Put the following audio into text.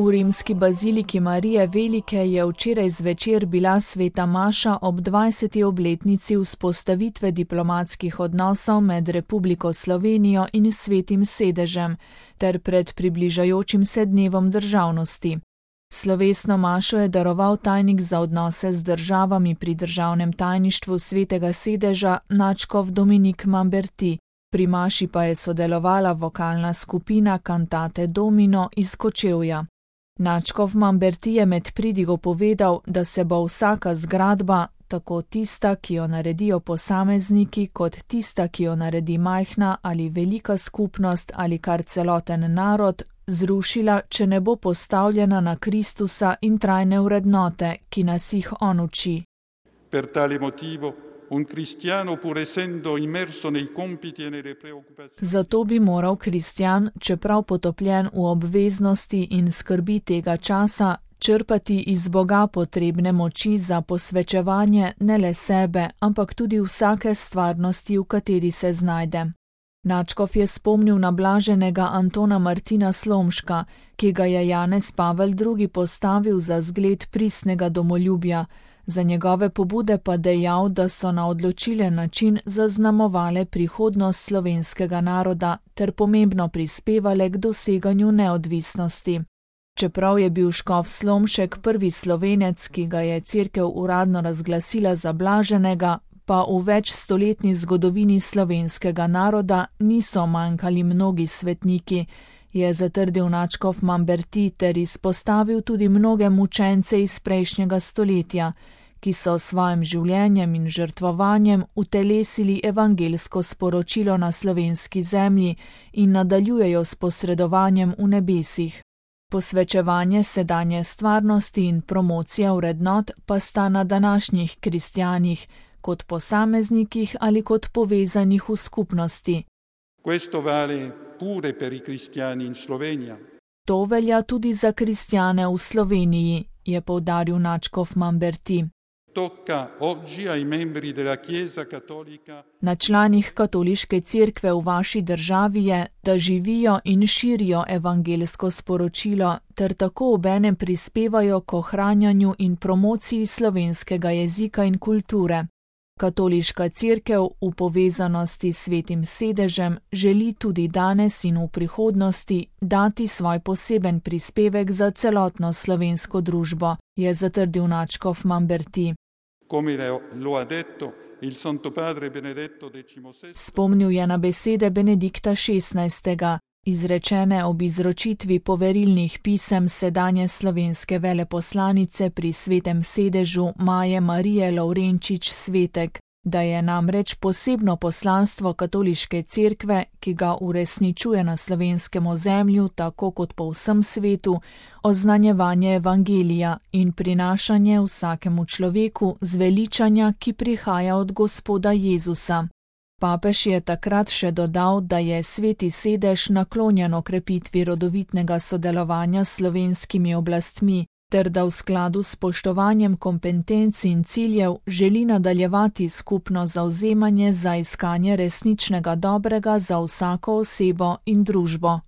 V rimski baziliki Marije Velike je včeraj zvečer bila sveta maša ob 20. obletnici vzpostavitve diplomatskih odnosov med Republiko Slovenijo in Svetim sedežem ter pred približajočim se dnevom državnosti. Slovesno mašo je daroval tajnik za odnose z državami pri državnem tajništvu Svetega sedeža nadškof Dominik Mamberti. Pri maši pa je sodelovala vokalna skupina Cantate Domino iz Kočevja. Nadškof Mamberti je med pridigo povedal, da se bo vsaka zgradba, tako tista, ki jo naredijo posamezniki, kot tista, ki jo naredi majhna ali velika skupnost ali kar celoten narod, zrušila, če ne bo postavljena na Kristusa in trajne vrednote, ki nas jih on uči. Per tale motivo, un cristiano, pur essendo immerso nei compiti e nelle preoccupazioni. Zato bi moral kristjan, čeprav potopljen v obveznosti in skrbi tega časa, črpati iz Boga potrebne moči za posvečevanje ne le sebe, ampak tudi vsake stvarnosti, v kateri se znajde. Nadškof je spomnil na blaženega Antona Martina Slomška, ki ga je Janez Pavel II. Postavil za zgled pristnega domoljubja, za njegove pobude pa dejal, da so na odločilen način zaznamovale prihodnost slovenskega naroda ter pomembno prispevale k doseganju neodvisnosti. Čeprav je bil škof Slomšek prvi Slovenec, ki ga je cerkev uradno razglasila za blaženega, pa v večstoletni zgodovini slovenskega naroda niso manjkali mnogi svetniki, je zatrdil nadškof Mamberti ter izpostavil tudi mnoge mučence iz prejšnjega stoletja, ki so s svojim življenjem in žrtvovanjem utelesili evangelsko sporočilo na slovenski zemlji in nadaljujejo s posredovanjem v nebesih. Posvečevanje sedanje stvarnosti in promocija vrednot pa sta na današnjih kristjanih, kot posameznikih ali kot povezanih v skupnosti. Questo vale pure per i cristiani in Slovenija. To velja tudi za kristjane v Sloveniji, je poudaril nadškof Mamberti. Tocca oggi ai membri della Chiesa Cattolica. Na članih katoliške cerkve v vaši državi je, da živijo in širijo evangelsko sporočilo ter tako obenem prispevajo k ohranjanju in promociji slovenskega jezika in kulture. Katoliška cerkev v povezanosti s Svetim sedežem želi tudi danes in v prihodnosti dati svoj poseben prispevek za celotno slovensko družbo, je zatrdil nadškof Mamberti. Spomnil je na besede Benedikta XVI., izrečene ob izročitvi poverilnih pisem sedanje slovenske veleposlanice pri Svetem sedežu Maje Marije Lovrenčič Svetek, da je namreč posebno poslanstvo katoliške cerkve, ki ga uresničuje na slovenskem ozemlju tako kot po vsem svetu, oznanjevanje evangelija in prinašanje vsakemu človeku zveličanja, ki prihaja od Gospoda Jezusa. Papež je takrat še dodal, da je Sveti sedež naklonjen okrepitvi rodovitnega sodelovanja s slovenskimi oblastmi, ter da v skladu s spoštovanjem kompetenc in ciljev želi nadaljevati skupno zavzemanje za iskanje resničnega dobrega za vsako osebo in družbo.